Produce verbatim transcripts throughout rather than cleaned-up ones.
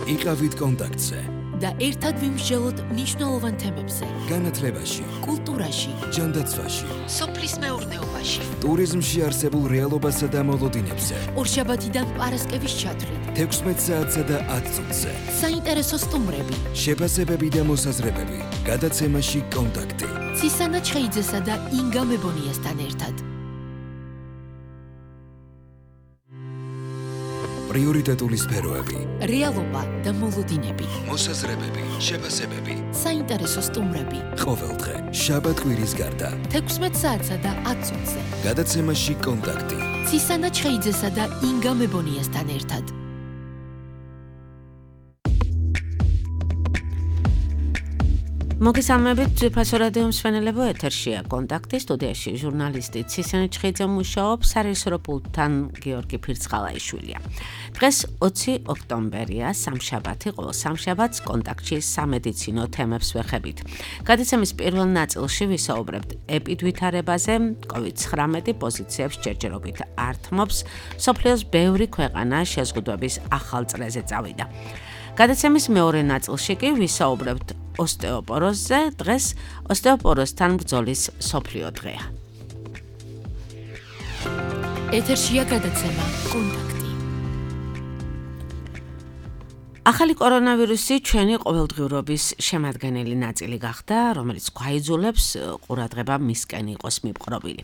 იყავით კონტაქტზე და ერთად ვიმსჯელოთ მნიშვნელოვან თემებზე. განათლებაში, კულტურაში, ჯანდაცვაში, სოფლის მეურნეობაში, ტურიზმში არსებულ რეალობასა და მოლოდინებზე. ორშაბათიდან პარასკევის ჩათვლით, თექვსმეტ საათსა და ათ წუთზე. საინტერესო სტუმრები, შეფასებები და მოსაზრებები. გადაცემაში კონტაქტი. ცისანა ჩხეიძესა და ინგა მებონიასთან ერთად. პრიორიტეტული სფეროები. რეალობა და მოლოდინები. მოსაზრებები, შეფასებები. საინტერესო სტუმრები. ყოველდღე, შაბათ-კვირის გარდა. თექვსმეტ საათსა და ათ წუთზე. გადაცემაში კონტაქტი. ცისანა ჩხეიძესა და ინგა მებონიასთან ერთად. მოგესალმებით, ძვირფასო რადიო მსმენელებო, ეთერშია კონტაქტი, სტუდიაში ჟურნალისტი ცისანა ჩხეიძე მუშაობს, სარეჟისორო პულტთან გიორგი ფირცხალაიშვილია. დღეს ოცი ოქტომბერია, სამშაბათი, ყოველ სამშაბათს კონტაქტში სამედიცინო თემებს ვეხებით. გადაცემის პირველ ნაწილში ვისაუბრებთ ეპიდვითარებაზე, კოვიდ ცხრამეტი პოზიციებს ჯერჯერობით ართმობს, მსოფლიოს ბევრი ქვეყანა შეზღუდვების ახალ წრეზე წავიდა. გადაცემის მეორე ნაწილში კი ვისაუბრებთ ოსტეოპოროზზე, დღეს ოსტეოპოროზთან ბრძოლის მსოფლიო დღეა. ეთერშია გადაცემა კონტაქტი. ახალი კორონავირუსი ჩვენი ყოველდღიურობის შემადგენელი ნაწილი გახდა, რომელიც გვაიძულებს ყურადღება მისკენ იყოს მიპყრობილი.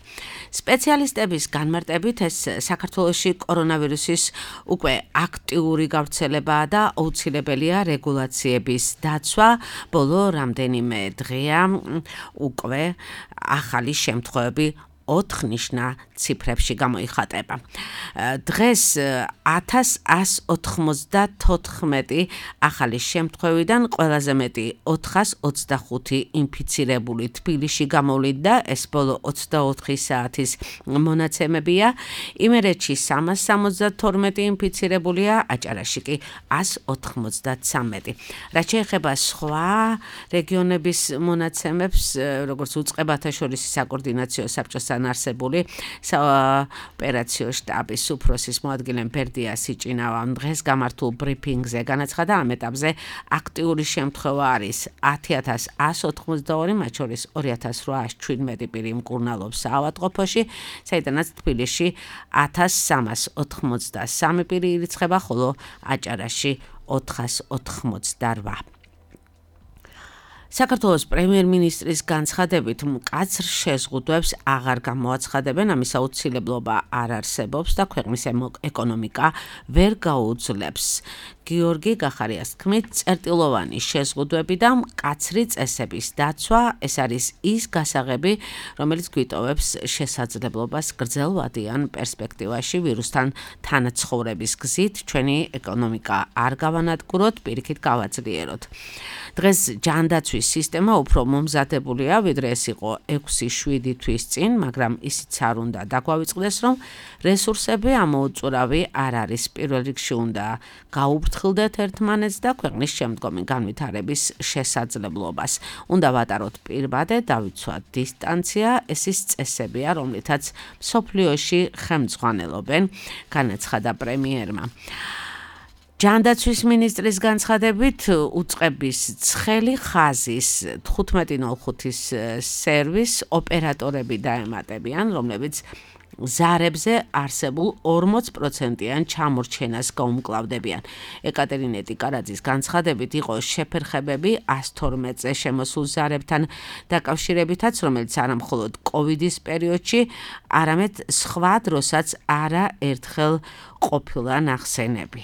სპეციალისტების განმარტებით ეს საქართველოში კორონავირუსის უკვე აქტიური გავრცელებაა და აუცილებელია რეგულაციების დაცვა. ბოლო რამდენიმე დღეა უკვე ახალი შემთხვევები ოთხ-ნიშნა ციფრებში გამოიხატება. დღეს ათას ას ოთხმოცდათოთხმეტი ახალი შემთხვევიდან ყველაზე მეტი ოთხას ოცდახუთი ინფიცირებული თბილისში გამოვლინდა, ეს ბოლო ოცდაოთხი საათის მონაცემებია. იმერეთში სამას სამოცდათორმეტი ინფიცირებულია, აჭარაში კი ას ოთხმოცდათვრამეტი. რაც შეეხება სხვა რეგიონების მონაცემებს, როგორც უწყებათა შორისი საკოორდინაციო საბჭოსთან არსებული საოპერაციო შტაბის უფროსის მოადგილე ბერდია სიჭინავამ დღეს გამართულ ბრიფინგზე განაცხადა, ამ ეტაპზე აქტიური შემთხვევა არის ათი ათას ას ოთხმოცდაორი, მათ შორის ორი ათას რვაას შვიდმეტი პირი მკურნალობს საავადმყოფოში, საიდანაც თბილისში ათას სამას ოთხმოცდასამი პირი ირიცხება, ხოლო აჭარაში ოთხას ოთხმოცდარვა. საქართველოს პრემიერ-მინისტრის განცხადებით მკაცრ შეზღუდვებს აღარ გამოაცხადებენ, ამის აუცილებლობა არ არსებობს და ქვეყნის ეკონომიკა ვერ გაუძლებს. გიორგი გახარიას თქმით, წერტილოვანი შეზღუდვები და მკაცრი წესების დაცვა, ეს არის ის გასაღები, რომელიც გვიტოვებს შესაძლებლობას გრძელვადიან პერსპექტივაში ვირუსთან თანაცხოვრების გზით ჩვენი ეკონომიკა არ გავანადგუროთ, პირიქით გავაძლიეროთ. დღეს ჯანდაცვის სისტემა უფრო მომზადებულია, ვიდრე ეს იყო ექვსი შვიდი თვის წინ, მაგრამ ისიც არ უნდა დაგვავიწყდეს, რომ რესურსები ამოუწურავი არ არის. პირველ რიგში უნდა გაუფრთხილდეთ ერთმანეთს და ქვეყნის შემდგომი განვითარების შესაძლებლობას. უნდა ვატაროთ პირბადე, დავიცვათ დისტანცია, ეს ის წესებია, რომლითაც მსოფლიოში ხელმძღვანელობენ, განაცხადა პრემიერმა. ჯანდაცვის მინისტრის განცხადებით, უწყების ცხელი ხაზის თხუთმეტი ნოლ ხუთის სერვის ოპერატორები დაემატებიან, რომლებიც ზარებზე არსებულ ორმოც პროცენტიან ჩამორჩენას გაუმკლავდებიან. ეკატერინე ტიკარაძის განცხადებით იყო შეფერხებები ას თორმეტზე შემოსულ ზარებთან დაკავშირებითაც, რომელიც არა მხოლოდ კოვიდის პერიოდში, არამედ სხვა დროსაც არაერთხელ ყოფილა ნახსენები.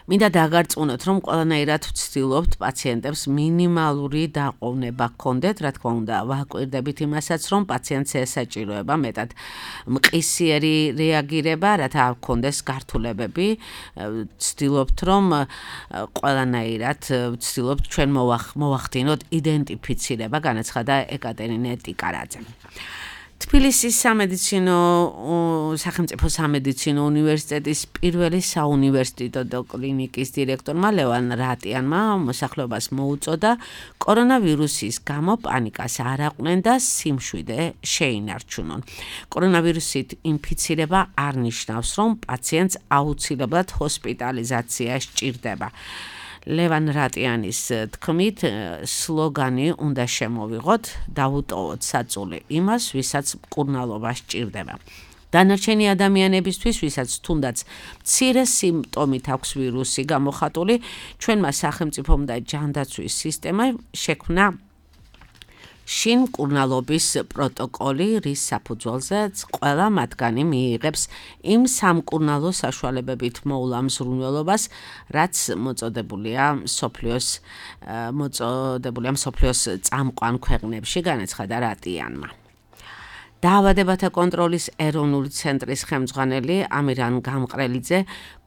მინდა დაგარწმუნოთ, რომ ყველანაირად ვცდილობთ პაციენტებს მინიმალური დაყოვნება ჰქონდეთ, რა თქმა უნდა, ვაკვირდებით იმასაც, რომ პაციენტს ესაჭიროება მეტად მყისიერი რეაგირება, რათა ჰქონდეს გართულებები. ვცდილობთ, რომ ყველანაირად ვცდილობთ ჩვენ მოვახდინოთ იდენტიფიცირება, განაცხადა ეკატერინე ტიკარაძემ. თბილისის სამედიცინო სახელმწიფო სამედიცინო უნივერსიტეტის პირველი საუნივერსიტეტო კლინიკის დირექტორმა ლევან რატიანმა მოსახლეობას მოუწოდა კორონავირუსის გამო პანიკას არ აყვნენ და სიმშვიდე შეინარჩუნონ. კორონავირუსით ინფიცირება არ ნიშნავს, რომ პაციენტს აუცილებლად ჰოსპიტალიზაცია სჭირდება. ლევან რატიანის თქმით, სლოგანი უნდა შემოვიღოთ, დავუტოვოთ საწული იმას, ვისაც მკურნალობა სჭირდება. დანარჩენი ადამიანებისთვის, ვისაც თუნდაც მცირე სიმპტომით აქვს ვირუსი გამოხატული, ჩვენმა სახელმწიფომ და ჯანდაცვის სისტემამ შექმნა შინ მკურნალობის პროტოკოლი, რის საფუძველზეც ყველა მათგანი მიიღებს იმ სამკურნალო საშუალებებით მოულა მზრუნველობას, რაც მოწოდებულია მსოფლიოს მოწოდებულია მსოფლიოს წამყვან ქვეყნებში, განაცხადა რატიანმა. დაავადებათა კონტროლის ეროვნული ცენტრის ხელმძღვანელი ამირან გამყრელიძე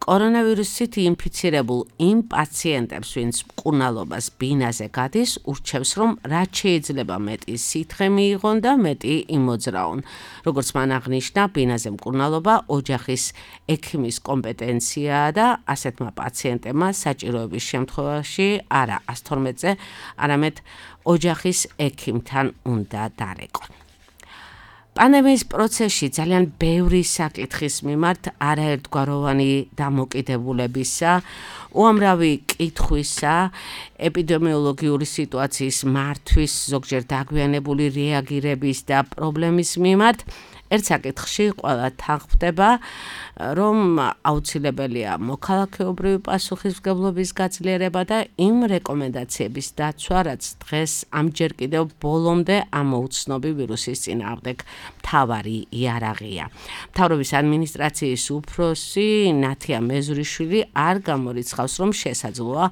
კორონავირუსით ინფიცირებულ იმ პაციენტებს, ვინც მკურნალობას ბინაზე გადის, ურჩევს, რომ რაც შეიძლება მეტი სითხე მიიღონ და მეტი იმოძრაონ. როგორც მან აღნიშნა, ბინაზე მკურნალობა ოჯახის ექიმის კომპეტენციაა და ასეთმა პაციენტებმა საჭიროების შემთხვევაში არა ას თორმეტზე, არამედ ოჯახის ექიმთან უნდა დარეკონ. პანდემიის პროცესში ძალიან ბევრი საკითხის მიმართ არაერთგვაროვანი დამოკიდებულებისა, უამრავი კითხვისა, ეპიდემიოლოგიური სიტუაციის მართვის, ზოგჯერ დაგვიანებული რეაგირების და პრობლემის მიმართ ერთ საკითხში ყველა თანხმდება, რომ აუცილებელია მოქალაქეობრივი პასუხისმგებლობის გაძლიერება და იმ რეკომენდაციების დაცვა, რაც დღეს ამჯერ კიდევ ბოლომდე ამოუცნობი ვირუსის წინააღმდეგ მთავარი იარაღია. მთავრობის ადმინისტრაციის უფროსი ნათია მეზურიშვილი არ გამორიცხავს, რომ შესაძლოა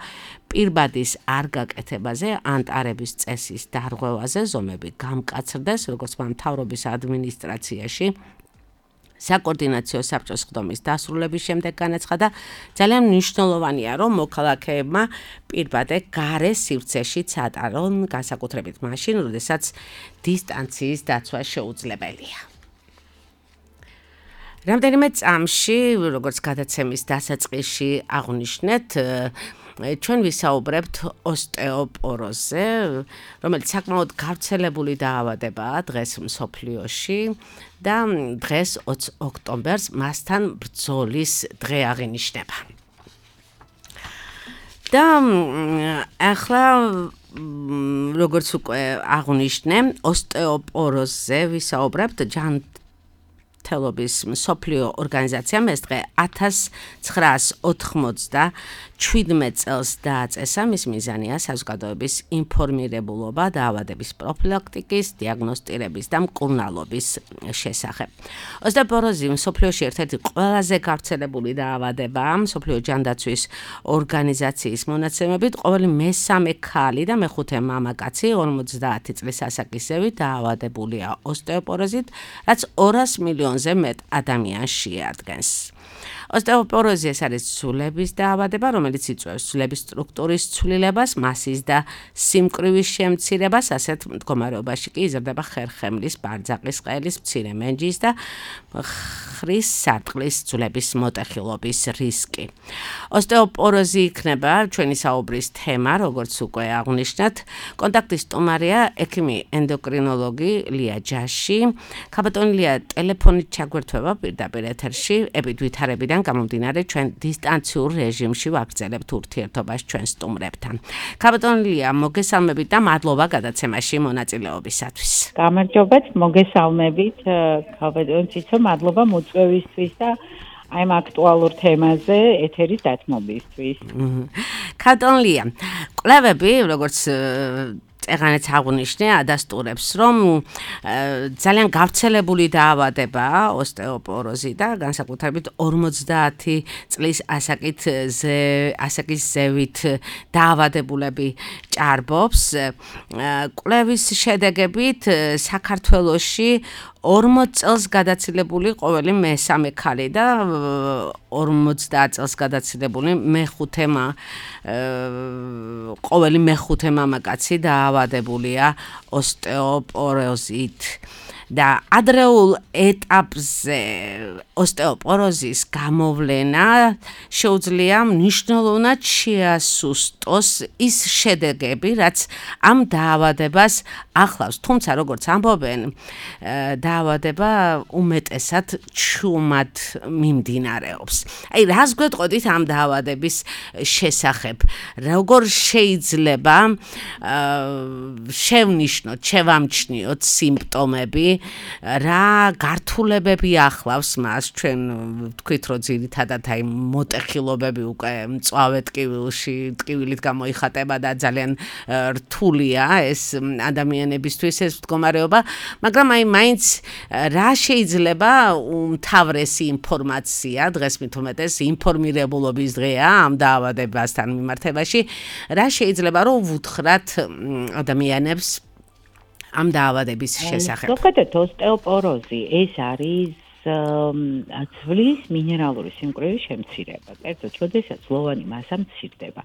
პირბადის არ გაკეთებაზე ან ტარების წესის დარღვევაზე ზომები გამკაცრდეს, როგორც მთავრობის ადმინისტრაციაში საკოორდინაციო საბჭოს ხდომის დასრულების შემდეგ განაცხადა, ძალიან მნიშვნელოვანია, რომ მოქალაქეებმა პირბადე გარე სივრცეში ატარონ, განსაკუთრებით მაშინ, როდესაც დისტანციის დაცვა შეუძლებელია. რამდენიმე წამში, როგორც გადაცემის დასაწყისში აღვნიშნეთ, ჩვენ ვისაუბრებთ ოსტეოპოროზზე, რომელიც საკმაოდ გავრცელებული დაავადებაა დღეს მსოფლიოში და დღეს ოცი ოქტომბერს მასთან ბრძოლის დღე აღინიშნება. და ახლა როგორც უკვე აღვნიშნე, ოსტეოპოროზზე ვისაუბრებთ ჯანმრთელობის მსოფლიო ორგანიზაციამ ეს დღე ათას ცხრაას ოთხმოცდაჩვიდმეტ წელს დააწესა, მის მიზანია საზოგადოების ინფორმირებულობა დაავადების პროფილაქტიკის, დიაგნოსტირების და მკურნალობის შესახებ. ოსტეოპოროზი მსოფლიოში ერთ-ერთი ყველაზე გავრცელებული დაავადებაა. მსოფლიო ჯანდაცვის ორგანიზაციის მონაცემებით, ყოველი მესამე ქალი და მეხუთე მამაკაცი ორმოცდაათი წლის ასაკისევი დაავადებულია ოსტეოპოროზით, რაც ორას მილიონზე მეტ ადამიანს შეადგენს. ოსტეოპოროზი ეს არის ცულების დაავადება, რომელიც იწვევს ცულების სტრუქტურის ცვლილებას, მასის და სიმკვრივის შემცირებას, ასეთ მდგომარეობაში კი იზრდება ხერხემლის, ბარძაყის ყელის, მცირე მენჯის და ხრის სარტყლის ცულების მოტეხილობის რისკი. ოსტეოპოროზი იქნება ჩვენი საუბრის თემა, როგორც უკვე აღვნიშნეთ. კონტაქტის სტუმარია ექიმი ენდოკრინოლოგი ლია ჯაში. ქაბატონი ლია, ტელეფონით ჩაგვერთვება პირდაპირ ეთერში, ეპიდვითარებიდან გამომდინარე ჩვენ დისტანციურ რეჟიმში ვაგრძელებთ ურთიერთობას ჩვენ სტუმრებთან. ქაბატონი ლია, მოგესალმებით და მადლობა გადაცემაში მონაწილეობისათვის. გამარჯობათ, მოგესალმებით, ქაბატონი ციცო, მადლობა მოწვევისთვის და აი ამ აქტუალურ თემაზე ეთერის დათმობისთვის. ქაბატონი ლია, კვლევები, როგორც წეღანაც აღვნიშნე, ადასტურებს, რომ ძალიან გავრცელებული დაავადებაა ოსტეოპოროზი და განსაკუთრებით ორმოცდაათი წლის ასაკით ასაკის ზევით დაავადებულები ჭარბობს. კვლევის შედეგებით საქართველოში ორმოც წელს გადაცილებული ყოველი მესამე ქალი და ორმოცდაათ წელს გადაცილებული მეხუთე ყოველი მეხუთე მამაკაცი დაავადებულია ოსტეოპოროზით. და ადრეულ ეტაპზე ოსტეოპოროზის გამოვლენა შეუძლია მნიშვნელოვნად შეასუსტოს ის შედეგები, რაც ამ დაავადებას ახლავს. თუმცა როგორც ამბობენ, დაავადება უმეტესად ჩუმად მიმდინარეობს. აი, რას გვეტყოდით ამ დაავადების შესახებ? როგორ შეიძლება შევნიშნოთ, შევამჩნიოთ სიმპტომები, რა გართულებები ახლავს მას, ჩვენ ვთქვით, რომ ძირითადად აი მოტეხილობები უკვე მწვავე ტკივილში, ტკივილით გამოიხატება და ძალიან რთულია ეს ადამიანებისთვის ეს მდგომარეობა, მაგრამ აი მაინც რა შეიძლება უმთავრესი ინფორმაცია, დღეს მით უმეტეს ინფორმირებულობის დღეა ამ დაავადებასთან მიმართებაში, რა შეიძლება რომ ვუთხრათ ადამიანებს ამ დაავადების შესახებ? ზოგადად ოსტეოპოროზი ეს არის ძვლის მინერალური სიმკვრივის შემცირება. კერძოდ, როდესაც ლოვანი მასა მცირდება.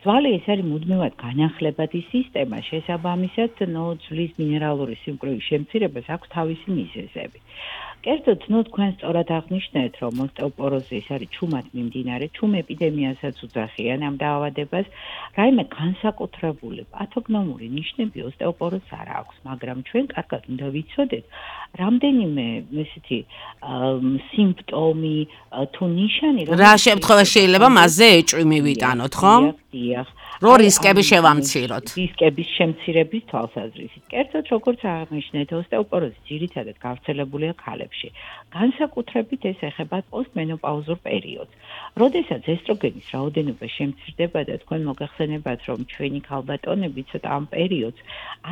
ძვალი ეს არის მუდმივად განახლებადი სისტემა, შესაბამისად, ნო ძვლის მინერალური სიმკვრივის შემცირებას აქვს თავისი მიზეზები. კერძოდ, ნუ თქვენ სწორად აღნიშნეთ, რომ ოსტეოპოროზი ეს არის ჩუმად მიმდინარე, ჩუმ ეპიდემიასაც უძახიან ამ დაავადებას, რაიმე განსაკუთრებული პათოგნომური ნიშნები ოსტეოპოროზს არ აქვს, მაგრამ ჩვენ კარგად უნდა ვიცოდეთ, რამდენიმე ესეთი სიმპტომი თუ ნიშანი, რა შემთხვევაში შეიძლება მასზე ეჭვი მივიტანოთ, ხო? დიახ. რო რისკები შევამციროთ. რისკების შემცირების თვალსაზრისით. კერძოდ, როგორც აღნიშნეთ, ოსტეოპოროზი ძირითადად გავრცელებულია ქალებში. განსაკუთრებით ეს ეხება პოსტმენოპაუზურ პერიოდს. როდესაც ესტროგენის რაოდენობა შემცირდება და თქვენ მოგახსენებათ, რომ ჩვენი ქალბატონები ცოტა ამ პერიოდს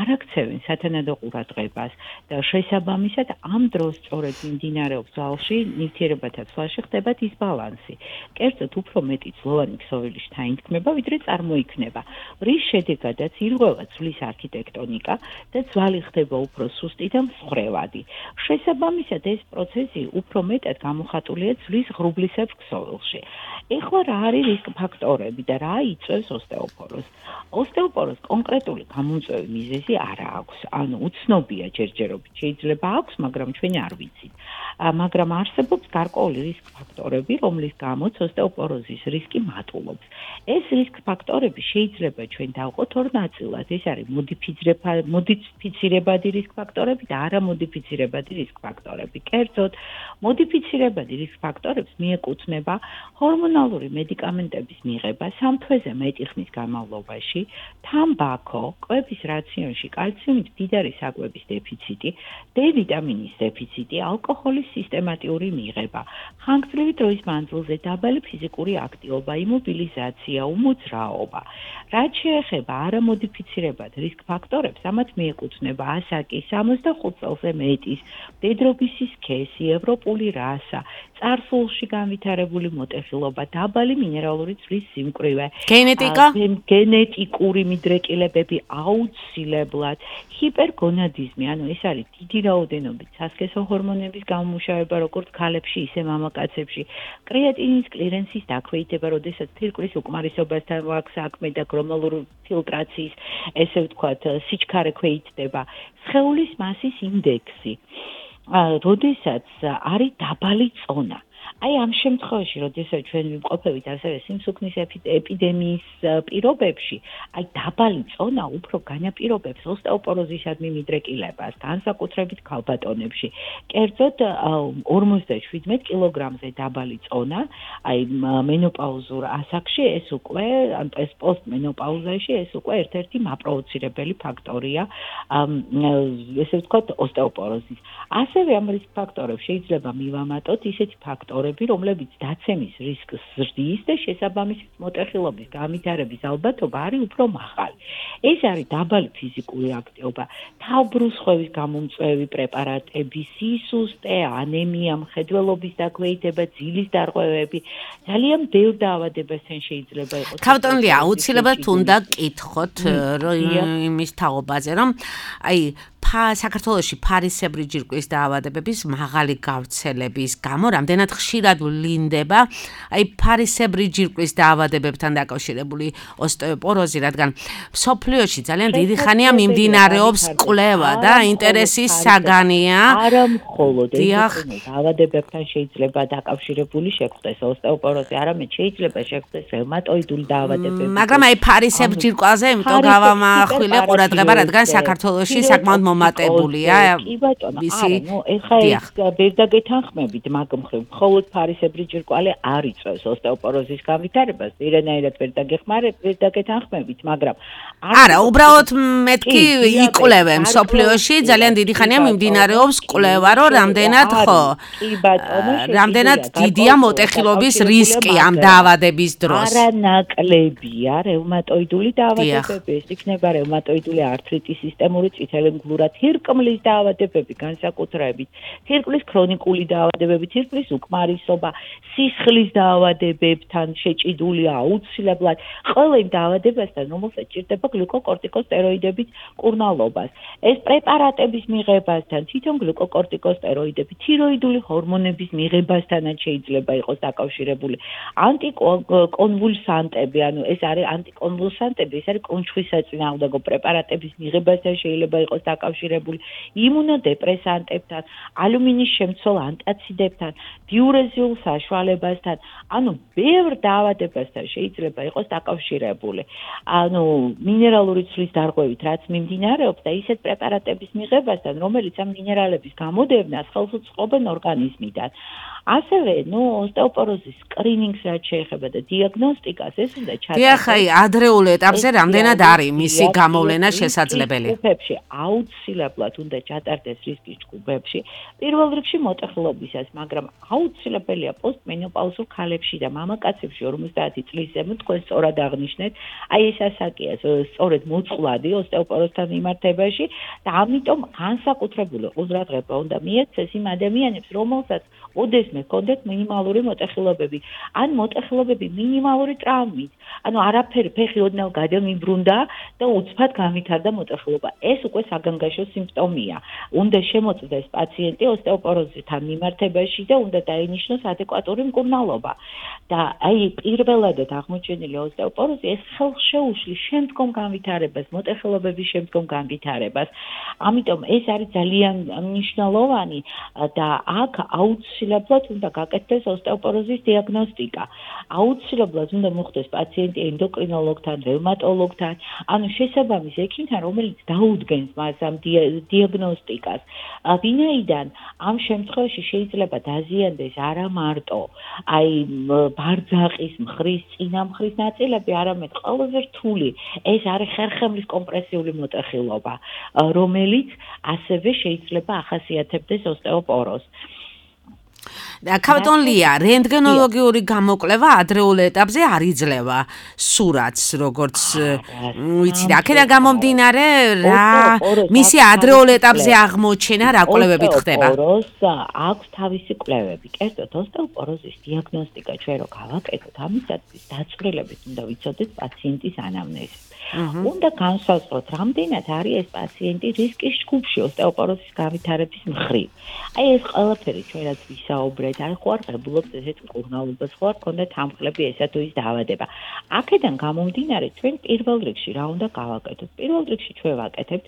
არ აქცევენ სათანადო ყურადღებას და შესაბამისად ამ დროს სწორედ მიმდინარეობს ძალში ნივთიერებათა ცვლაში ხდება დისბალანსი. კერძოდ, უფრო მეტი ძლოვანი ქსოვილი შთაინთქმება, ვიდრე წარმოიქმნება, რის შედეგადაც ირღვევა ძვლის არქიტექტონიკა და ძვალი ხდება უფრო სუსტი და მსხვერპლი. შესაბამისად ეს პროცესი უფრო მეტად გამოხატულია ძვლის ღრუბლისებრ ქსოვილში. ეხლა რა არის რისკ ფაქტორები და რა იწვევს ოსტეოპოროზს? ოსტეოპოროზს კონკრეტული გამომწვევი მიზეზი არ აქვს. ანუ უცნობია ჯერჯერობით, შეიძლება აქვს, მაგრამ ჩვენ არ ვიცით. მაგრამ არსებობს გარკვეული რისკ ფაქტორები, რომლის გამოც ოსტეოპოროზის რისკი მატულობს. ეს რისკ ფაქტორები შეიძლება ჩვენ დავყოთ ორ ნაწილად. ეს არის მოდიფიცირებადი რისკ ფაქტორები და არამოდიფიცირებადი რისკ ფაქტორები. კერძოდ, მოდიფიცირებადი რისკ ფაქტორებს მიეკუთვნება ჰორმონალური მედიკამენტების მიღება სამ თვეზე მეტი ხნის განმავლობაში, თამბაქო, კვების რაციონში კალციუმით მდიდარი საკვების დეფიციტი, D ვიტამინის დეფიციტი, ალკოჰოლის სისტემატიური მიღება, ხანგრძლივი დროის მანძილზე დაბალი ფიზიკური აქტივობა, იმობილიზაცია, უმოძრაობა. რაც შეეხება არამოდიფიცირებად რისკ ფაქტორებს, ამათ მიეკუთვნება ასაკი, სამოცდახუთ წელზე მეტის, მდედრობის სქესი, ევროპული რასა, წარსულში განვითარებული მოტეხილობა, დაბალი მინერალური წყლის სიმკვრივე, გენეტიკა, გენეტიკური მიდრეკილებები აუცილებლად, ჰიპერგონადიზმი, ანუ ეს არის დიდი რაოდენობით სასქესო ჰორმონების გამომუშავება, როგორც ქალებში, ისე მამაკაცებში, კრეატინის კლირენსის დაქვეითება, როდესაც თირკმლის უკმარისობასთან აქვს საქმე და გლომერულური ფილტრაციის, ესე ვთქვათ, სიჩქარე ქვეითდება, სხეულის მასის ინდექსი. როდესაც არის დაბალი წონა. აი ამ შემთხვევაში, როდესაც ჩვენ ვიმყოფებით ასევე სიმსუქნის ეპიდემიის პირობებში, აი დაბალი წონა უფრო განაპირობებს ოსტეოპოროზისადმი მიდრეკილებას, განსაკუთრებით ქალბატონებში. კერძოდ ორმოცდაშვიდმეტ კილოგრამზე დაბალი წონა, აი მენოპაუზურ ასაკში ეს უკვე, ან ეს პოსტმენოპაუზაში ეს უკვე ერთ-ერთი მაპროვოცირებელი ფაქტორია, ესე ვთქვათ, ოსტეოპოროზის. ასევე ამ რისკ ფაქტორებს შეიძლება მივამატოთ ისეთი ფაქტორები, რომლებიც დაცემის რისკს ზრდის და შესაბამისად მოტეხილობის განვითარების ალბათობა არის უფრო მაღალი. ეს არის დაბალი ფიზიკური აქტივობა, თავბრუსხვევის გამომწვევი პრეპარატები, სისუსტე, ანემია, მხედველობის დაქვეითება, ძილის დარღვევები, ძალიან ბევრ დაავადებასთან შეიძლება იყოს. ქალბატონი აუცილებლად უნდა კითხოთ იმის თაობაზე, რომ აი საქართველოში ფარისებრი ჯირკვლის დაავადებების მაღალი გავრცელების გამო რამდენად ხშირად ვლინდება აი ფარისებრი ჯირკვლის დაავადებებთან დაკავშირებული ოსტეოპოროზი, რადგან მსოფლიოში ძალიან დიდი ხანია მიმდინარეობს კვლევა და ინტერესის საგანია. არა მხოლოდ ეს დაავადებებთან შეიძლება დაკავშირებული შეხვდეს ოსტეოპოროზი, არამედ შეიძლება შეხვდეს რევმატოიდული დაავადებები. მაგრამ აი ფარისებრ ჯირკვალზე იმიტომ გავამახვილე ყურადღება, რადგან საქართველოში საკმაოდ მომატებულია. კი ბატონო, არა, ნუ ეხლა ეს ვერ დაგეთანხმებით მაგ მხრივ, მხოლოდ ფარისებრი ჯირკვალი არ იწვევს ოსტეოპოროზის განვითარებას, ვერანაირად ვერ დაგეხმარებ, ვერ დაგეთანხმებით, მაგრამ არა, უბრალოდ მეთქი იკვლევენ მსოფლიოში ძალიან დიდი ხანია მიმდინარეობს კვლევა, რომ რამდენად ხო კი ბატონო, რამდენად დიდია მოტეხილობის რისკი ამ დაავადების დროს. არა ნაკლებია რევმატოიდული დაავადებები, ეს იქნება რევმატოიდული ართრიტის, სისტემური წითელი მგლურა, თირკმლის დაავადებები განსაკუთრებით, თირკმლის ქრონიკული დაავადებები, თირკმლის უკმარისობა, სისხლის დაავადებებთან შეჭიდულია აუცილებლად, ყველა იმ დაავადებასთან, რომელსაც ჭირდება გლიკოკორტიკოსტეროიდების მკურნალობას. ეს პრეპარატების მიღებასთან, თვითონ გლიკოკორტიკოსტეროიდები, თიროიდული ჰორმონების მიღებასთანაც შეიძლება იყოს დაკავშირებული. ანტიკონვულსანტები, ანუ ეს არის ანტიკონვულსანტები, ეს არის კუნჩხვისაწინააღმდეგო პრეპარატების მიღებასთან შეიძლება იყოს დაკავშირებული, იმუნოდეპრესანტებთან, ალუმინის შემცველ ანტაციდებთან, დიურეზიულ საშუალებასთან, ანუ ბევრ დაავადებასთან შეიძლება იყოს დაკავშირებული. ანუ მინერალური ცვლის დარღვევით რაც მიმდინარეობს და ისეთ პრეპარატების მიღებასთან, რომელიც ამ მინერალების გამოდევნას ხელს უწყობენ ორგანიზმიდან. ასევე, ნუ ოსტეოპოროზის სკრინინგს რაც შეეხება და დიაგნოსტიკას, ეს უნდა ჩატარდეს. დიახ, აი, ადრეულ ეტაპზე რამდენად არის მისი გამოვლენა შესაძლებელი? ჯგუფებში აუცილებლად უნდა ჩატარდეს რისკის ჯგუფებში. პირველ რიგში მოტეხილობისას, მაგრამ აუცილებელია პოსტმენოპაუზურ ქალებში და მამაკაცებში ორმოცდაათი წლის ზემოთ თქვენ სწორად აღნიშნეთ. აი ეს ასაკია სწორედ მოწყვლადი ოსტეოპოროზთან მიმართებაში და ამიტომ განსაკუთრებული ყურადღება უნდა მიეცეს იმ ადამიანებს, რომელსაც ოდესმე ჰქონდეთ მინიმალური მოტეხილობები, ან მოტეხილობები მინიმალური ტრავმით. ანუ არაფერი ფეხი ოდნავ გადამიბრუნდა და უცბად განვითარდა მოტეხილობა. ეს უკვე საგანგაშო სიმპტომია. უნდა შემოწმდეს პაციენტი ოსტეოპოროზთან მიმართებაში და უნდა დაინიშნოს ადეკვატური მკურნალობა. და აი პირველადად აღმოჩენილი ოსტეოპოროზი ეს ხელს შეუშლის შემდგომ განვითარებას, მოტეხილობების შემდგომ განვითარებას. ამიტომ ეს არის ძალიან მნიშვნელოვანი და აქ აუცილებლად უნდა გაკეთდეს ოსტეოპოროზის დიაგნოსტიკა. აუცილებლად უნდა მოხდეს პაციენტი ენდოკრინოლოგთან, რევმატოლოგთან, ანუ შესაბამის ექიმთან, რომელიც დაუდგენს მას ამ დიაგნოსტიკას. ვინაიდან ამ შემთხვევაში შეიძლება დაზიანდეს არა მარტო აი ბარძაყის მხრის, წინა მხრის ნაწილები, არამედ ყველაზე რთული ეს არის ხერხემლის კომპრესიული მოტეხილობა, რომელიც ასევე შეიძლება ახასიათებდეს ოსტეოპოროზს. ქალბატონ ლია, რენტგენოლოგიური გამოკვლევა ადრეულ ეტაპზე არ იძლევა სურათს, როგორც ვიცი, აქედან გამომდინარე, რა მისი ადრეულ ეტაპზე აღმოჩენა რა კვლევებით ხდება? ოსტეოპოროზს აქვს თავისი კვლევები. კერძოდ, ოსტეოპოროზის დიაგნოსტიკა ჩვენ რო გავაკეთოთ, ამისათვის დაწვრილებით უნდა ვიცოდეთ პაციენტის ანამნეზი. უნდა განსაზღვროთ, რამდენად არის ეს პაციენტი რისკის ჯგუფში ოსტეოპოროზის განვითარების მხრივ. აი ეს ყველაფერი ჩვენ რაც ვისაუბრეთ, არ ხო არ ღებულობთ ესეთ მკურნალობას, ხო არ გქონდათ ამხლები ესა თუ ის დაავადება. აქედან გამომდინარე, ჩვენ პირველ რიგში რა უნდა გავაკეთოთ? პირველ რიგში ჩვენ ვაკეთებთ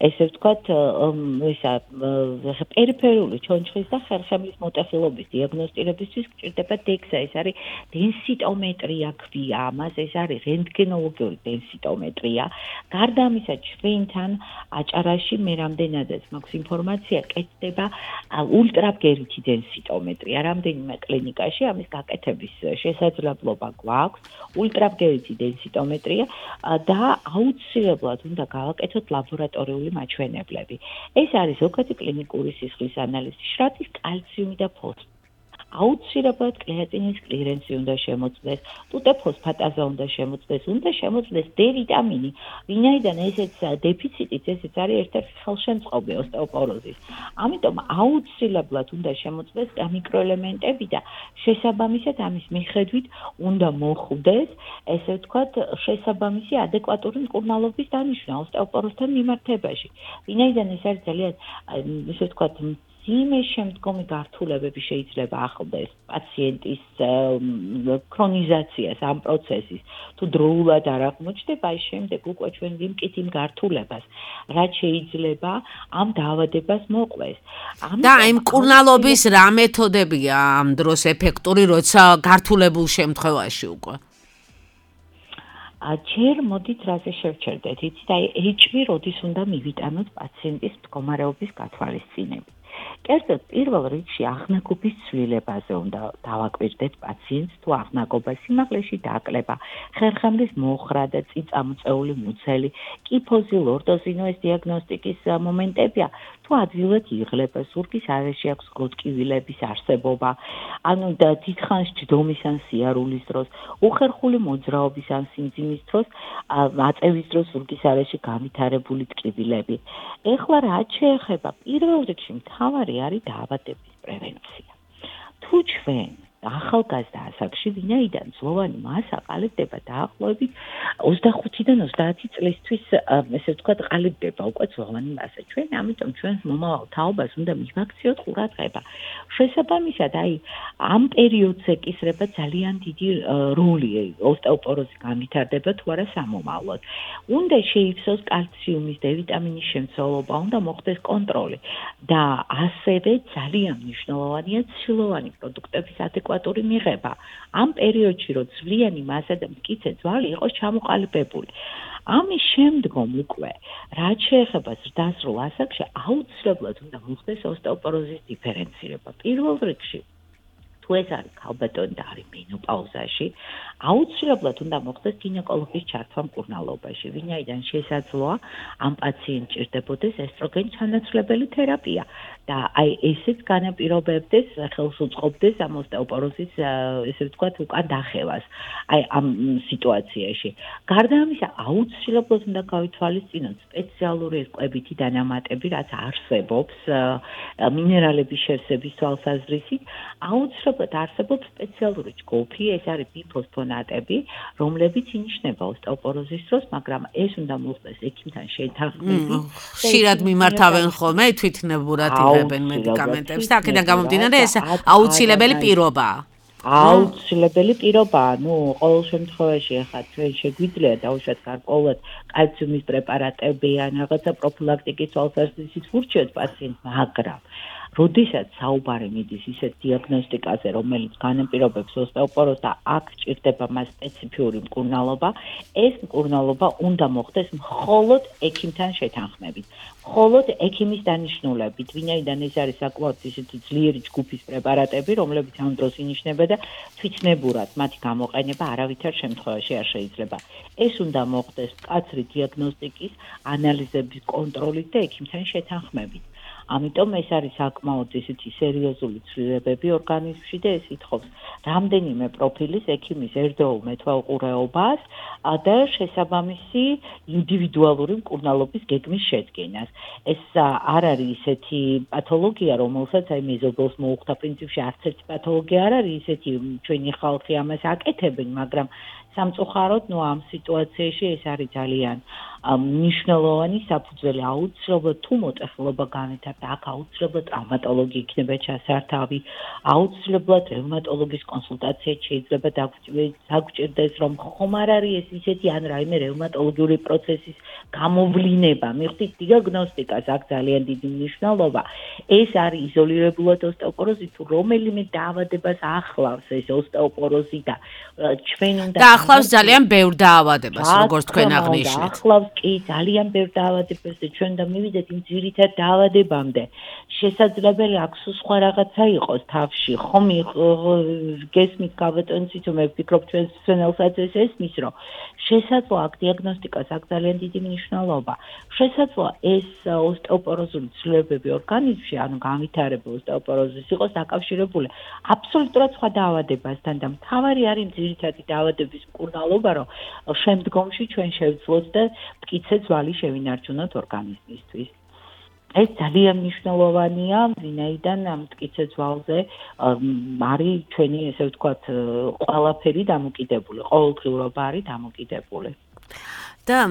ესე ვთქვათ, ისა პერიფერიული ჩონჩხის და ხერხემლის მოტეხილობის დიაგნოსტირებისთვის გჭირდება დექსა, ეს არის დენსიტომეტრია ქვია, ამას ეს არის რენტგენოლოგიური დენსიტომეტრია. გარდა ამისა, ჩვენთან აჭარაში მე რამდენადაც მაქვს ინფორმაცია, კეთდება ულტრაბგერითი დენსიტომეტრია. რამდენიმე კლინიკაში ამის გაკეთების შესაძლებლობა გვაქვს. ულტრაბგერითი დენსიტომეტრია და აუცილებლად უნდა გავაკეთოთ ლაბორატორიული მაჩვენებლები. ეს არის ზოგადი კლინიკური სისხლის ანალიზი, შრატის კალციუმი და ფოსფორი. აუცილებლად კრეატინის კლირენსი უნდა შემოწმდეს, ტუტე ფოსფატაზა უნდა შემოწმდეს, უნდა შემოწმდეს D ვიტამინი, ვინაიდან ესეც დეფიციტით ესეც არის ერთ-ერთი ხელშემწყობი ოსტეოპოროზის. ამიტომ აუცილებლად უნდა შემოწმდეს მიკროელემენტები და შესაბამისად ამის მიხედვით უნდა მოხვდეს, ესე ვთქვათ, შესაბამისი ადეკვატური მკურნალობის დანიშვნა ოსტეოპოროზთან მიმართებაში. ვინაიდან ეს არის ძალიან, ესე ვთქვათ, მძიმე შემდგომი გართულებები შეიძლება ახლდეს პაციენტის ქრონიზაციას ამ პროცესის. თუ დროულად არ აღმოჩნდება, ის შემდეგ უკვე ჩვენ ვიმკით იმ გართულებას, რაც შეიძლება ამ დაავადებას მოყვეს. და იმ მკურნალობის რა მეთოდებია ამ დროს ეფექტური, როცა გართულებულ შემთხვევაში უკვე? ჯერ მოდით რაზე შევჩერდეთ, იცით, აი H V როდის უნდა მივიტანოთ პაციენტის მდგომარეობის გათვალისწინებით. კერძოდ პირველ რიგში აღნაგობის ცვლილებაზე უნდა დავაკვირდეთ პაციენტს, თუ აღნაგობა სიმაღლეში დაკლება, ხერხემლის მოხრა და წიწამოწეული მუცელი, კიფოზი, ლორდოზინო ეს დიაგნოსტიკის მომენტებია, თუ ადვილად იღლება, ზურგის არეში აქვს გროტკივილების არსებობა, ანუ და დიდხანს ჯდომის ან სიარულის დროს, უხერხული მოძრაობის ან სიმძიმის დროს, აწევის დროს ზურგის არეში განვითარებული ტკივილები. ეხლა რაც შეეხება პირველ რიგში მთავარი არის დაავადების პრევენცია. თუ ჩვენ ახალგაზრდა ასაკში, ვინაიდან ძვლოვანი მასა ყალიბდება დაახლოებით ოცდახუთიდან ოცდაათი წლისთვის, ესე ვთქვათ, ყალიბდება უკვე ძვლოვანი მასა. ჩვენ ამიტომ ჩვენს მომავალ თაობას უნდა მივაქციოთ ყურადღება. შესაბამისად, აი ამ პერიოდზე კისრება ძალიან დიდი როლი ოსტეოპოროზი განვითარდება თუ არა სამომავლოდ. უნდა შეივსოს კალციუმის, D ვიტამინის შემცველობა, უნდა მოხდეს კონტროლი და ასევე ძალიან მნიშვნელოვანია ცილოვანი პროდუქტების ადეკვატური მიღება. ამ პერიოდში, რომ ძვლიანი მასა და მტკიცე ძვალი იყოს ჩამოყალიბებული. ამის შემდგომ უკვე, რაც შეეხება ზრდასრულ ასაკში, აუცილებლად უნდა მოხდეს ოსტეოპოროზის დიფერენცირება. პირველ რიგში, თუ ეს არის ქალბატონი და არის მენოპაუზაში, აუცილებლად უნდა მოხდეს გინეკოლოგის ჩართვა მკურნალობაში, ვინაიდან შესაძლოა ამ პაციენტს ჭირდებოდეს ესტროგენ ჩანაცვლებელი თერაპია და აი ესეც განაპირობებდეს, ხელს უწყობდეს ამ ოსტეოპოროზის, ესე ვთქვათ, უკან დახევას. აი ამ სიტუაციაში. გარდა ამისა, აუცილებლად უნდა გავითვალისწინოთ სპეციალური კვებითი დანამატები, რაც არსებობს მინერალების შევსების თვალსაზრისით, აუცილებლად არსებობს სპეციალური ჯგუფი, ეს არის ბიფოსფონატები, რომლებიც ინიშნება ოსტეოპოროზის დროს, მაგრამ ეს უნდა მოხდეს ექიმთან შეთანხმებით. ხშირად მიმართავენ ხოლმე თვითნებურად იღებენ მედიკამენტებს და აქედან გამომდინარე ეს აუცილებელი პირობაა. აუცილებელი პირობაა, ნუ ყოველ შემთხვევაში ახლა ჩვენ შეგვიძლია დავუშვათ გარკვეულად კალციუმის პრეპარატები ან რაღაცა პროფილაქტიკის თვალსაზრისით ვურჩიოთ პაციენტს, მაგრამ როდესაც საუბარი მიდის ისეთ დიაგნოსტიკაზე, რომელიც განაპირობებს ოსტეოპოროზს და აქ ჭირდება მას სპეციფიური მკურნალობა, ეს მკურნალობა უნდა მოხდეს მხოლოდ ექიმთან შეთანხმებით. მხოლოდ ექიმის დანიშნულებით, ვინაიდან ეს არის საკმაოდ ისეთი ძლიერი ჯგუფის პრეპარატები, რომლებიც ამ დროს ინიშნება და თვითნებურად მათი გამოყენება არავითარ შემთხვევაში არ შეიძლება. ეს უნდა მოხდეს მკაცრი დიაგნოსტიკის, ანალიზების კონტროლით და ექიმთან შეთანხმებით. ამიტომ ეს არის საკმაოდ ისეთი სერიოზული ცვლილებები ორგანიზმში და ეს ითხოვს რამდენიმე პროფილის ექიმის ერთდროულ მეთვალყურეობას და შესაბამისი ინდივიდუალური მკურნალობის გეგმის შედგენას. ეს არ არის ისეთი პათოლოგია, რომელსაც აი მეზობელს მოუხდა პრინციპში არც ერთი პათოლოგია არ არის ისეთი, ჩვენი ხალხი ამას აკეთებენ, მაგრამ სამწუხაროდ, ნუ ამ სიტუაციაში ეს არის ძალიან მნიშვნელოვანი საფუძველი. აუცილებლად თუ მოტეხილობა განვითარდა, აქ აუცილებლად ტრავმატოლოგი იქნება ჩასართავი, აუცილებლად რევმატოლოგის კონსულტაცია შეიძლება დაგჭირდეს, რომ ხომ არ არის ეს ისეთი ან რაიმე რევმატოლოგიური პროცესის გამოვლინება. მიხვდით დიაგნოსტიკას აქ ძალიან დიდი მნიშვნელობა. ეს არის იზოლირებულად ოსტეოპოროზი, თუ რომელიმე დაავადებას ახლავს ეს ოსტეოპოროზი და ჩვენ უნდა და ახლავს ძალიან ბევრ დაავადებას, როგორც თქვენ აღნიშნეთ. ახლავს კი ძალიან ბევრ დაავადებებს და ჩვენ და მივიდეთ იმ ძირითად დაავადებამდე. შესაძლებელი აქვს სხვა რაღაცა იყოს თავში. ხომ გესმით გაბატონცით, მე ვფიქრობ ჩვენ სცენელსაც ეს ესმის, რომ შესაძლოა აქ დიაგნოსტიკას აქვს ძალიან დიდი მნიშვნელობა. შესაძლოა ეს ოსტეოპოროზული ცვლილებები ორგანიზმში, ანუ განვითარებული ოსტეოპოროზის იყოს დაკავშირებული აბსოლუტურად სხვა დაავადებასთან და მთავარი არის ძირითადი დაავადების მკურნალობა, რომ შემდგომში ჩვენ შევძლოთ და მტკიცე ძვალი შევინარჩუნოთ ორგანიზმისთვის. ეს ძალიან მნიშვნელოვანია, ვინაიდან მტკიცე ძვალზე არის ჩვენი, ესე ვთქვათ, ყველაფერი დამოკიდებული, ყოველდღიურობა არის დამოკიდებული. და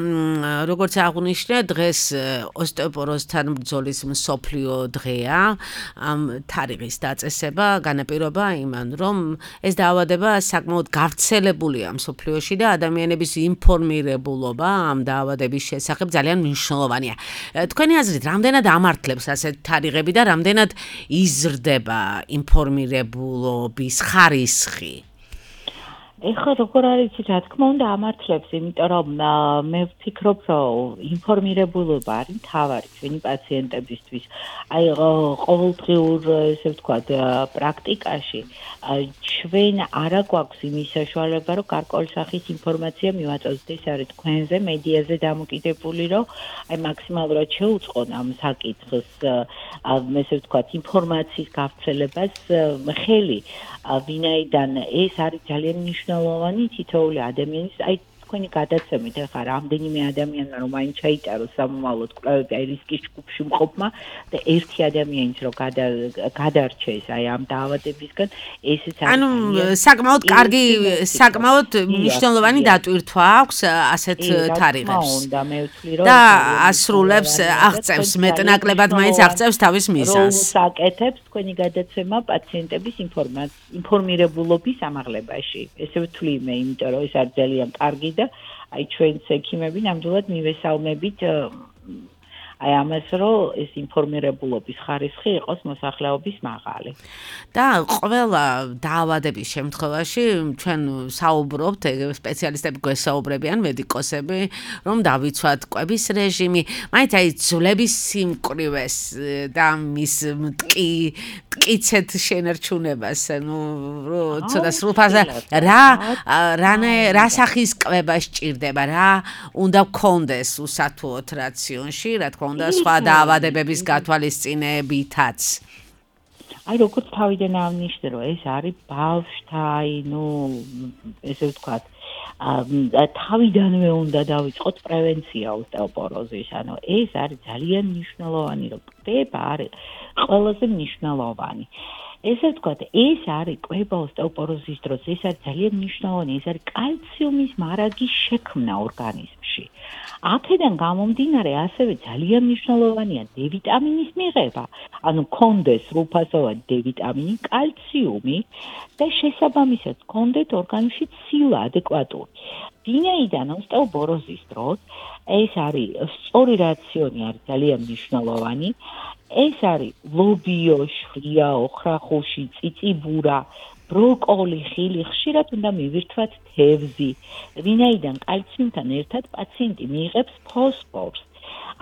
როგორც აღნიშნე, დღეს ოსტეოპოროზთან ბრძოლის მსოფლიო დღეა. ამ თარიღის დაწესება განაპირობა იმან, რომ ეს დაავადება საკმაოდ გავრცელებულია მსოფლიოში და ადამიანების ინფორმირებულობა ამ დაავადების შესახებ ძალიან მნიშვნელოვანია. თქვენი აზრით, რამდენად ამართლებს ასეთ თარიღები და რამდენად იზრდება ინფორმირებულობის ხარისხი? ეხლა როგორ არის, რა თქმა უნდა ამართლებს, იმიტომ რომ მე ვფიქრობ, რომ ინფორმირებულობა არის მთავარი ჩვენი პაციენტებისთვის. აი ყოველდღიურ, ესე ვთქვათ, პრაქტიკაში ჩვენ არა გვაქვს იმის საშუალება, რომ გარკვეული სახის ინფორმაცია მივაწოდოთ. ეს არის თქვენზე, მედიაზე დამოკიდებული, რომ აი მაქსიმალურად შეუწყონ ამ საკითხს, ესე ვთქვათ, ინფორმაციის გავრცელებას ხელი, ვინაიდან ეს არის ძალიან მნიშვნელოვანი თითოეული ადამიანის, აი თქვენი გადაცემით, ახლა რამდენიმე ადამიანმა რომ მაინც ჩაიტაროს სამომავლოდ კვლევები აი რისკის ჯგუფში მყოფმა და ერთი ადამიანიც რომ გადარჩეს აი ამ დაავადებისგან, ესეც არის ანუ საკმაოდ კარგი, საკმაოდ მნიშვნელოვანი დატვირთვა აქვს ასეთ თარიღებს. და ასრულებს, აღწევს მეტნაკლებად მაინც აღწევს თავის მიზანს. საკეთებს თქვენი გადაცემა პაციენტების ინფორმირებულობის ამაღლებაში. ესე ვთვლი მე, იმიტომ რომ ეს არის ძალიან კარგი და აი ჩვენც ექიმები ნამდვილად მივესალმებით აი ამას, რომ ეს ინფორმირებულობის ხარისხი იყოს მოსახლეობის მაღალი. და ყველა დაავადების შემთხვევაში ჩვენ საუბრობთ, სპეციალისტები გვესაუბრებიან, მედიკოსები, რომ დავიცვათ კვების რეჟიმი, მაინც აი ძვლების სიმკვრივეს და მის მტკიცედ შენარჩუნებას, ანუ ცოტა სრულფასა რა რა სახის კვება სჭირდება, რა უნდა გქონდეს უსათუოდ რაციონში, რა თქმა უნდა სხვა დაავადებების გათვალისწინებითაც. აი როგორც თავიდან აღნიშნე, რომ ეს არის ბავშვთა, აი ნუ ესე ვთქვათ, თავიდანვე უნდა დავიწყოთ პრევენცია ოსტეოპოროზის, ანუ ეს არის ძალიან მნიშვნელოვანი, რომ კვება არის ყველაზე მნიშვნელოვანი. ესე ვთქვათ, ეს არის კვება ოსტეოპოროზის დროს, ეს არის ძალიან მნიშვნელოვანი, ეს არის კალციუმის მარაგის შექმნა ორგანიზმში. აქედან გამომდინარე, ასევე ძალიან მნიშვნელოვანია დე ვიტამინის მიღება, ანუ კონდეს სრულფასოვანი დე ვიტამინი, კალციუმი და შესაბამისად კონდეთ ორგანიზმში ცილა ადეკვატური. ვინაიდან ოსტეოპოროზის დროს ეს არის სწორი რაციონი არის ძალიან მნიშვნელოვანი. ეს არის ლობიო, შვრია, ოხრახუში, წიწიბურა, ბროკოლი, ხილი, ხშირად უნდა მივირთვათ თევზი. ვინაიდან კალციუმთან ერთად პაციენტი მიიღებს ფოსფორს.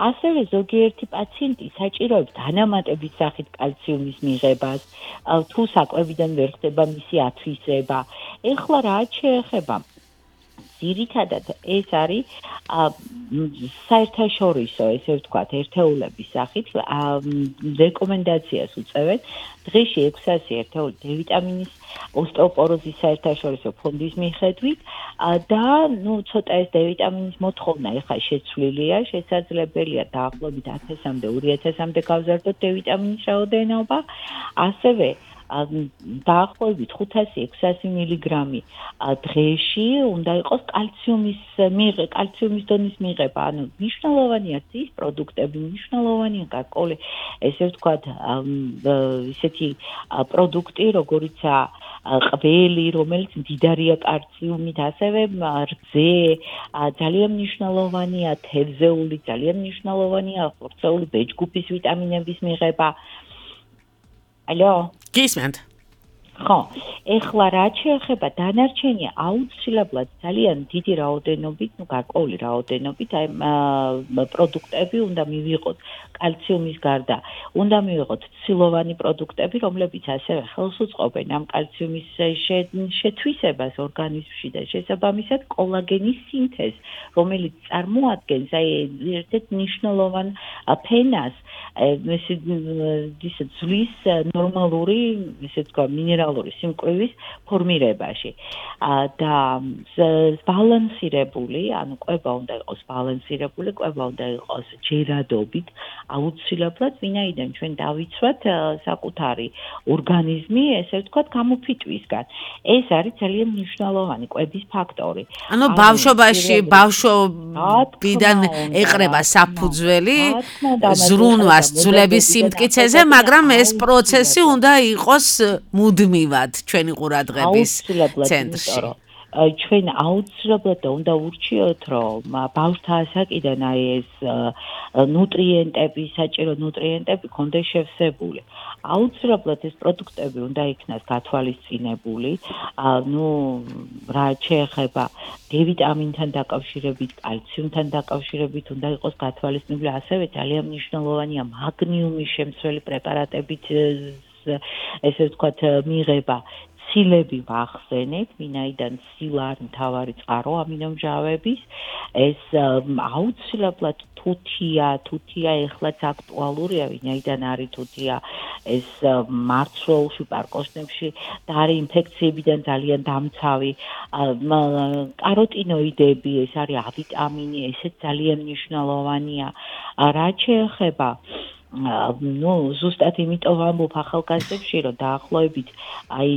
ასევე ზოგიერთი პაციენტი საჭიროებს დანამატების სახით კალციუმის მიღებას, თუ საკვებიდან ვერ ხდება მისი ათვისება. ეხლა რაც შეეხება ძირითადად ეს არის საერთაშორისო, ესე ვთქვათ, ერთეულების სახით რეკომენდაციას უწევენ დღეში ექვსასი ერთეული დე ვიტამინის ოსტეოპოროზის საერთაშორისო ფონდის მიხედვით და ნუ ცოტა ეს დე ვიტამინის მოთხოვნა ეხლა შეცვლილია, შესაძლებელია დაახლოებით ათასამდე, ორი ათასამდე გავზარდოთ დე ვიტამინის რაოდენობა, ასევე დაახლოებით ხუთასი ექვსასი მილიგრამი დღეში უნდა იყოს კალციუმის მიღება, კალციუმის დონის მიღება, ანუ მნიშვნელოვანია ის პროდუქტები, მნიშვნელოვანია გარკვეული, ესე ვთქვათ, ისეთი პროდუქტი, როგორიცაა ყველი, რომელიც მდიდარია კალციუმით, ასევე რძე, ძალიან მნიშვნელოვანია თევზეული, ძალიან მნიშვნელოვანია ხორცეული ბეჭდგუფის ვიტამინების მიღება. ალო? გისმენთ. ხო, ეხლა რაც შეეხება დანარჩენი აუცილებლად ძალიან დიდი რაოდენობით, ну გარკვეული რაოდენობით აი პროდუქტები უნდა მივიღოთ კალციუმის გარდა. უნდა მივიღოთ ცილოვანი პროდუქტები, რომლებიც ასევე ხელს უწყობენ ამ კალციუმის შეთვისებას ორგანიზმში და შესაბამისად კოლაგენის სინთეზს, რომელიც წარმოადგენს აი ერთ-ერთ მნიშვნელოვან ფენას ესე ძვლის ნორმალური, ესე თქვა, მინერალური სიმკვრივის ფორმირებაში. და ბალანსირებული, ანუ კვება უნდა იყოს ბალანსირებული, კვება უნდა იყოს ჯერადობით, აუცილებლად, ვინაიდან ჩვენ დავიცვათ საკუთარი ორგანიზმი, ესე ვთქვათ, გამოფიტვისგან. ეს არის ძალიან მნიშვნელოვანი კვების ფაქტორი. ანუ ბავშვობაში, ბავშვობიდან ეყრება საფუძველი ზრუნვას ძვლების სიმტკიცეზე, მაგრამ ეს პროცესი უნდა იყოს მუდმივად ჩვენი ყურადღების ცენტრში. ჩვენ აუცილებლად უნდა ურჩიოთ, რომ ბავშვთა ასაკიდან აი ეს ნუტრიენტები, საჭირო ნუტრიენტები კონდეს შევსებული. აუცილებლად ეს პროდუქტები უნდა იქნას გათვალისწინებული, ну, რაც შეეხება D ვიტამინთან დაკავშირებით, კალციუმთან დაკავშირებით უნდა იყოს გათვალისწინებული, ასევე ძალიან მნიშვნელოვანია მაგნიუმის შემცველი პრეპარატებით ესე ვთქვათ მიღება. ცილები ვახსენეთ, ვინაიდან ცილა არის მთავარი წყარო ამინომჟავების, ეს აუცილებლად თუთია, თუთია ეხლაც აქტუალურია, ვინაიდან არის თუთია ეს მარცვლეულში, პარკოსნებში და არის ინფექციებიდან ძალიან დამცავი, კაროტინოიდები, ეს არის A ვიტამინი, ესეც ძალიან მნიშვნელოვანია. რაც შეეხება ну, ზუსტად იმიტომ ვამბობ ახალგაზრდებში, რომ დაახლოებით აი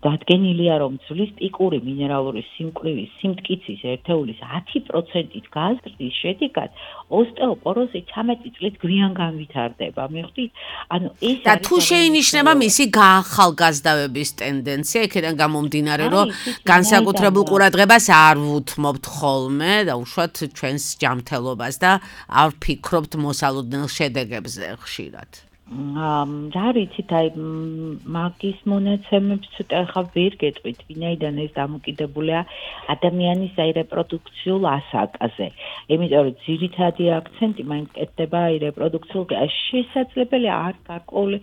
დადგენილია, რომ ძვლის პიკური მინერალური სიმკვრივის სიმტკიცის ერთეულის ათი პროცენტით გაზრდის შედეგად ოსტეოპოროზი ცამეტი წლით გვიან განვითარდება. მიხვდით? ანუ ეს და თუ შეინიშნება მისი გაახალგაზრდავების ტენდენცია, იქიდან გამომდინარე, რომ განსაკუთრებულ ყურადღებას არ ვუთმობთ ხოლმე და უშუალოდ ჩვენს ჯანმრთელობას და არ ვფიქრობთ მოსალოდნელ შედეგებზე ხშირად. რა ვიცით, აი მაგის მონაცემებს ცოტა ხა ვერ გეტყვით, ვინაიდან ეს დამოკიდებულია ადამიანის აი რეპროდუქციულ ასაკზე. იმიტომ რომ ძირითადი აქცენტი მაინც კეთდება აი რეპროდუქციულ შესაძლებელია არ გარკვეული,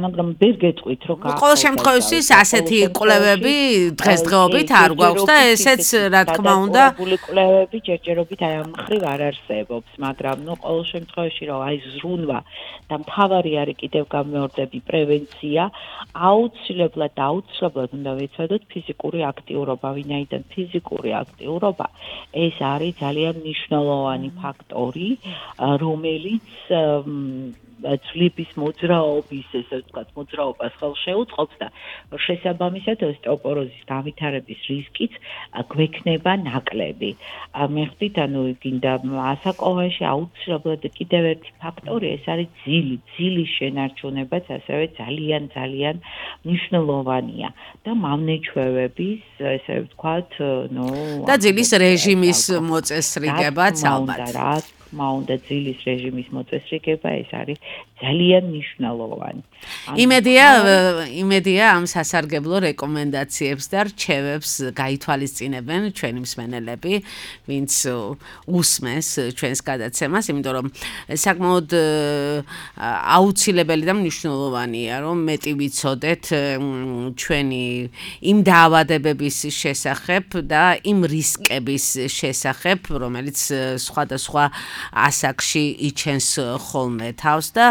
მაგრამ ვერ გეტყვით, რომ ყოველ შემთხვევაში ასეთი კვლევები დღესდღეობით არ გვაქვს და ესეც რა თქმა უნდა კვლევები ჯერჯერობით აი ამ მხრივ არ არსებობს, მაგრამ ნუ ყოველ შემთხვევაში რომ აი ზრუნვა და მთავარი არის კიდევ გამეორდები პრევენცია, აუცილებლად აუცილებლად უნდა ვეცადოთ ფიზიკური აქტიურობა, ვინაიდან ფიზიკური აქტიურობა ეს არის ძალიან მნიშვნელოვანი ფაქტორი, რომელიც ძვლების მოძრაობის, ესე ვთქვათ, მოძრაობას ხელს შეუწყობს და შესაბამისად ოსტეოპოროზის განვითარების რისკიც გვექნება ნაკლები. მიხვდით, ანუ გინდა ასაკოვანში აუცილებლად კიდევ ერთი ფაქტორი, ეს არის ძილი, ძილის შენარჩუნებაც ასევე ძალიან ძალიან მნიშვნელოვანია და მავნეჩვევების, ესე ვთქვათ, ნუ და ძილის რეჟიმის მოწესრიგებაც ალბათ. მაუნდა ძილის რეჟიმის მოწესრიგება, ეს არის ძალიან მნიშვნელოვანი. იმედია, იმედია ამ სასარგებლო რეკომენდაციებს და რჩევებს გაითვალისწინებენ ჩვენი მსმენელები, ვინც უსმენს ჩვენს გადაცემას, იმიტომ რომ საკმაოდ აუცილებელი და მნიშვნელოვანია, რომ მეტი ვიცოდეთ ჩვენი იმ დაავადებების შესახებ და იმ რისკების შესახებ, რომელიც სხვადასხვა ასაკში იჩენს ხოლმე თავს და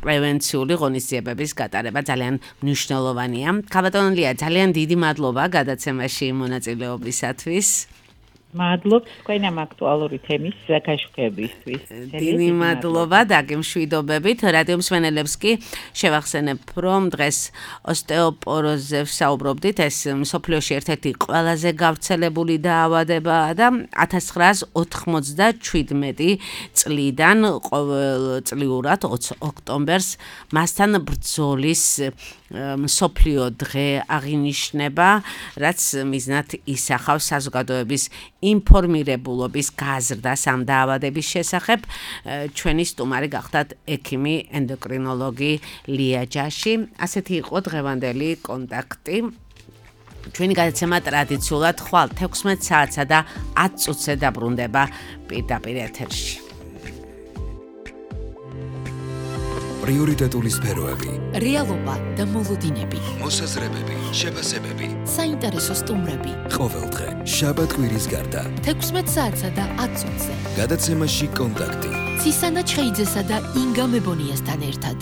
პრევენციული ღონისძიებების გატარება ძალიან მნიშვნელოვანია. ქაბატონო ლია, ძალიან დიდი მადლობა გადაცემაში მონაწილეობისათვის. მადლობთ თქვენ ამ აქტუალური თემის გაშუქებისთვის. დიდი მადლობა დაგემშვიდობებით. რადიო მსმენელებს კი შევახსენებ, რომ დღეს ოსტეოპოროზზე ვსაუბრობდით. ეს მსოფლიოში ერთ-ერთი ყველაზე გავრცელებული დაავადებაა და ათას ცხრაას ოთხმოცდაშვიდმეტი წლიდან ყოველწლიურად ოცი ოქტომბერს მასთან ბრძოლის მსოფლიო დღე აღინიშნება, რაც მიზნად ისახავს საზოგადოების ინფორმირებულობის გაზრდას ამ დაავადების შესახებ. ჩვენი სტუმარი გახდათ ექიმი ენდოკრინოლოგი ლია ჯაში. ასეთი იყო დღევანდელი კონტაქტი. ჩვენი გადაცემა ტრადიციულად ხვალ თექვსმეტ საათსა და ათ წუთზე დაბრუნდება პირდაპირ ეთერში. პრიორიტეტული სფეროები, რეალობა და მოლოდინები, მოსაზრებები, შეფასებები. საინტერესო სტუმრები. ყოველდღე, შაბათ-კვირის გარდა. თექვსმეტ საათსა და ათ წუთზე. გადაცემაში კონტაქტი. ცისანა ჩხეიძესა და ინგა მებონიასთან ერთად.